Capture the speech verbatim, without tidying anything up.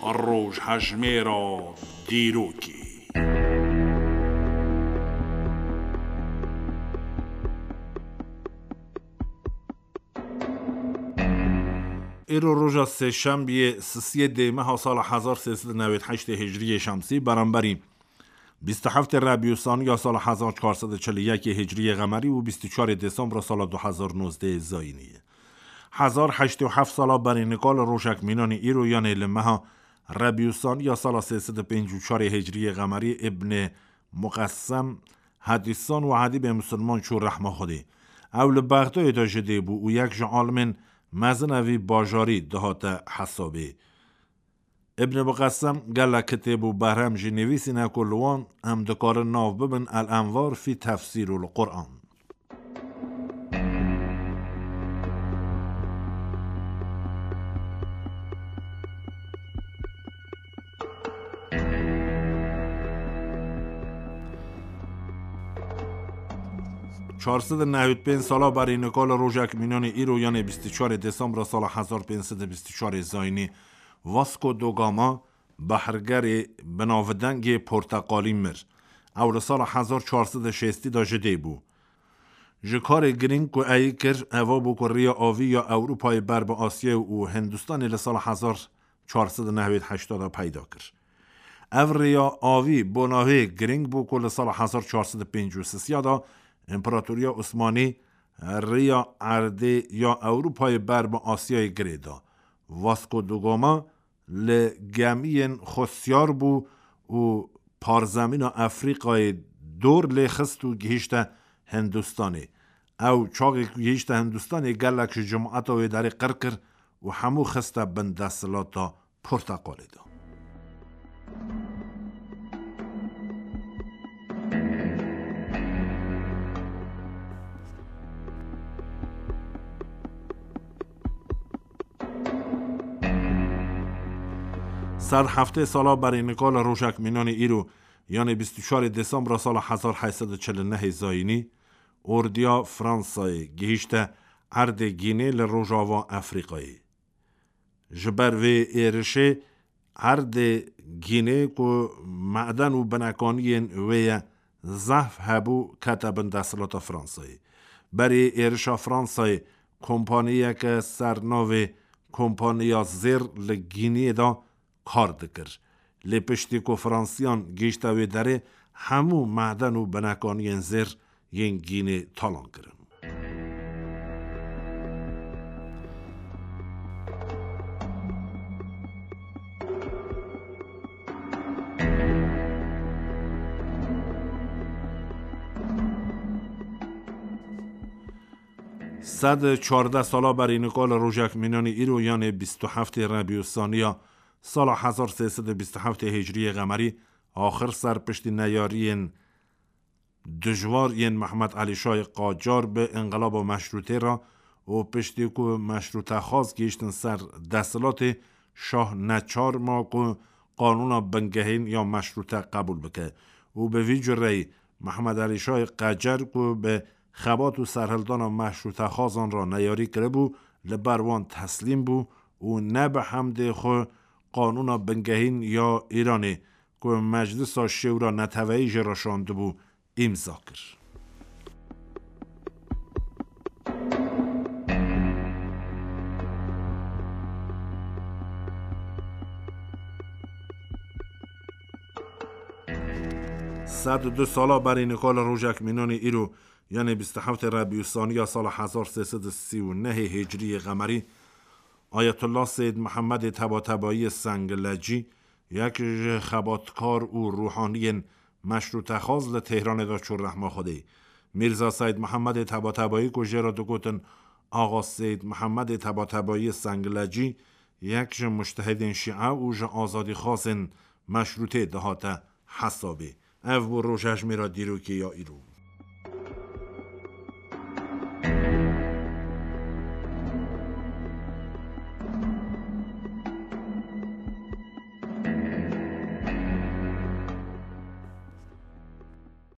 Rojhejmêra dîrokê. Îro roja sêşembiyê, sisiyê dê meha sala hezar sê sed û newêd heştê hicriyê şemsî, beramberî bîst û heftê Rebîûsaniya sala hezar çar sed û çil û yekê hicriyê qemerî û bîst û çarê Desembra sala du hezar nozdehê zayînî ye. Hezar heştê û heft sala berî nika li rojek mînanî îro, yanê li meha Rebîûsaniya sala sê sed û pêncî û çarê hicriyê qemerî, Îbnê Muqessem, hedîsan û edîbê misilman çû rehma Xwedê. Ew li Bexdayê de ji dê bû û yek ji alimên mezin a vî bajarî dihate hesabê. Îbn Muqessem gelek kitêb û berhem jî nivîsîne ku li wan em dikarin nav bibin El Envar fî Tefsîr û Quran. Çar sed û nehwêd pênc sala berî nika li rojek mînanî îro, yanê bîst û çarê Desembra sala hezar pênc sed û bîst û çarê zayînî, Vasco da Gama, behrgerê binavdengê porteqalî, mir. Ew li sala hezar çar sed û şêstî de ji dê bû. Ji karê girîng ku ey kir, eva bû ku riya avî ya Ewropayê ber bi Asyayê û Hindistanê li sala hezar çar sed û nehwêd heşta de peyda kir. Ev riya avî bona wê girîng bû ku li sala hezar çar sed û pêncî û sisiya de Împaratoriya Osmanî riya erdê ya Ewropayê ber bi Asyayê girê da. Vasco da Gama li gemiyên xwe siyar bû û parzemîna Efrîqayê dor lê xist û gihîşte Hindistanê. Ew çaxê ku gihîşte Hindistanê, gelek ji cemaeta wê derê qir kir û hemû xiste bin desthilata porteqalê de. Sed heftê sala berî nika li rojek mînanî îro, yanê bîst û çarê Desembra sala hezar heşt sed û çil û nehê zayînî, ordiya Fransayê gihîşte erdê Gînê li rojava Efrîqayê. Ji ber vê êrişê erdê Gînê ku meden û binekaniyên wê ye zehf hebû, kete bin desthilata Fransayê. Berê êrişa Fransayê, kompaniyeke ser navê Kompaniya Zêr li Gîniyê de kar dikir. Lê piştî ku Fransiyan gihîşte wê derê, hemû meden û binekaniyên zêr yên Gînê talan kirin. Sed çardeh sala berî nika li rojek mînanî îro, yanê bîst û heftê Rebîûsaniya sala hezar sê sed û bîst û heftê hicriyê qemerî, axir ser piştî neyariyên dijwar yên Mehmed Elî Şahê Qacar bi înqilaba meşrûtê re û piştî ku meşrûtexwaz gihîştin ser desthilatê, şah neçar ma ku qanûna bingehîn ya meşrûte qebûl bike û bi vî cureyî Mehmed Elî Şahê Qacar ku bi xebat û serhildana meşrûtexwazan re neyarî kiribû, li ber wan teslîm bû û ne bi hemdê xwe qanûna bingehîn ya Îranê ku Meclisa Şêwra Neteweyî jê re şandibû, îmza kir. Sed û du sala berî nika li rojek mînanî îro, yanê bîst û heftê Rebîûsaniya sala hezar sê sed û sî û nehê hicriyê qemerî, Ayetullah Seyyid Mihemedê Tebatebayî Sengilecî, yek ji xebatkar û ruhaniyên meşrûtexwaz, li Tehranê de çû rehma Xwedê. Mîrza Seyyid Mihemedê Tebatebayî ku jê re digotin Axa Seyyid Mihemedê Tebatebayî Sengilecî, yek ji mujtehidên şîe û ji azadîxwazên meşrûtê dihate hesabê. Ev bû rojhejmêra dîrokê ya îro.